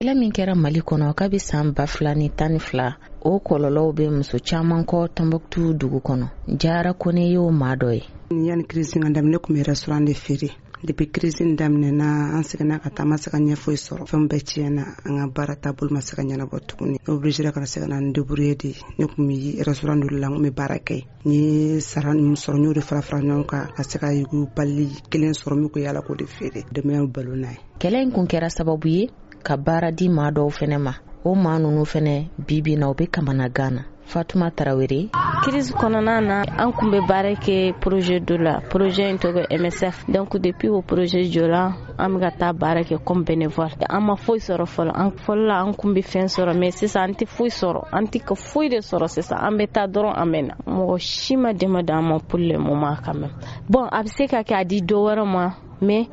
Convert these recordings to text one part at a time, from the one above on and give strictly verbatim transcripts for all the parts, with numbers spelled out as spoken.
Kɛlɛ min kɛra Mali kɔnɔ kabi san ba fila ni tan ni fila, o kɔlɔlɔw bɛ muso caman kɔ Tɔnbɔkutu dugu kɔnɔ. Jara Kone y'o maa dɔ ye. Yanni crise ka daminɛ, ne tun bɛ restaurant de feere. Depuis crise in daminɛna, an seginna ka taa, ma se ka ɲɛ foyi sɔrɔ. Fɛn bɛɛ tiɲɛna, an ka baara taabolo ma se ka ɲɛnabɔ tuguni. Ne obligé ka se ka na n débrouiller de. Ne tun bɛ restaurant dɔ la, n tun bɛ baara kɛ. N ye sara min sɔrɔ, n y'o de fara fara ɲɔgɔn kan ka se ka yugubali kelen sɔrɔ min ko yala k'o de feere, denbaya balo n'a ye. Kɛlɛ in kun kɛra sababu ye ka baara di maa dɔw fɛnɛ ma. O maa ninnu fɛnɛ, bibi na, u bɛ kamanagan na. Fatuma Tarawele. Crise kɔnɔna na, an kun bɛ baara kɛ projet dɔ la, projet in tɔgɔ M S F. Donc depuis o projet jɔra, an bɛ ka taa baara kɛ comme bénévole. An ma foyi sɔrɔ fɔlɔ. An fɔlɔ la, an kun bɛ fɛn sɔrɔ, mais sisan an tɛ foyi sɔrɔ, an tɛ ka foyi de sɔrɔ sisan. An bɛ taa dɔrɔn, an bɛ na. Mɔgɔ si ma dɛmɛ d'an ma pour le moment quand même. Bon, a bɛ se ka kɛ a di dɔ wɛrɛ ma, mais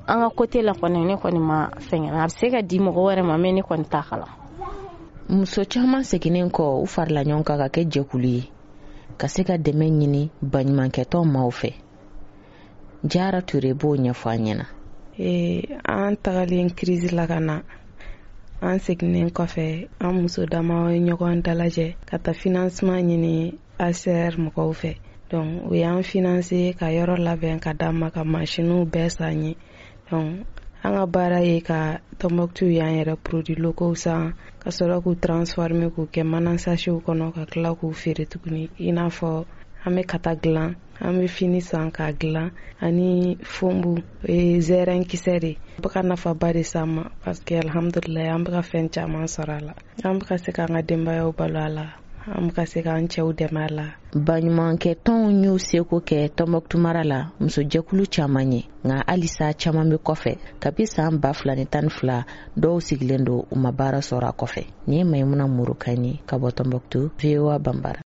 an ka côté la kɔni, ne kɔni ma fɛngɛ. A bɛ se ka di mɔgɔ wɛrɛ ma, mais ne kɔni t'a kalan. Muso caman seginnen kɔ, u farila ɲɔgɔn kan ka kɛ jɛkulu ye ka se ka dɛmɛ ɲini baɲumankɛtɔn maaw fɛ. Jara Ture b'o ɲɛfɔ an ɲɛna. Ee, an tagalen crise la ka na, an seginnen kɔfɛ, an muso dama ye ɲɔgɔn dalajɛ ka taa financement ɲini A C R mɔgɔw fɛ. Donc u y'an financer ka yɔrɔ labɛn ka d'an ma, ka masiniw bɛɛ san ye. Donc an ka baara ye ka Tɔnbɔkutu y'an yɛrɛ produit locaux san, ka sɔrɔ k'u transformer k'u kɛ mana sachetw kɔnɔ, ka tila k'u feere tuguni. I n'a fɔ an bɛ kata dilan, an bɛ fini san k'a dilan, ani fombu, o ye zɛrɛn kisɛ de. Bɛ ka nafaba de s'an ma, parce que alhamdulilayi, an bɛ ka fɛn caman sɔrɔ a la. An bɛ ka se k'an ka denbayaw balo a la, an bɛ ka se k'an cɛw dɛmɛ a la. Baɲumankɛ tɔnw y'u seko kɛ Tɔnbɔkutu mara la musojɛkulu caman ye, nka halisa caman bɛ kɔfɛ. Kabi san ba fila ni tan ni fila, dɔw sigilen don, u ma baara sɔrɔ a kɔfɛ. Nin ye Mayimuna Murukan ye ka bɔ Tɔnbɔkutu, V O A Banbara.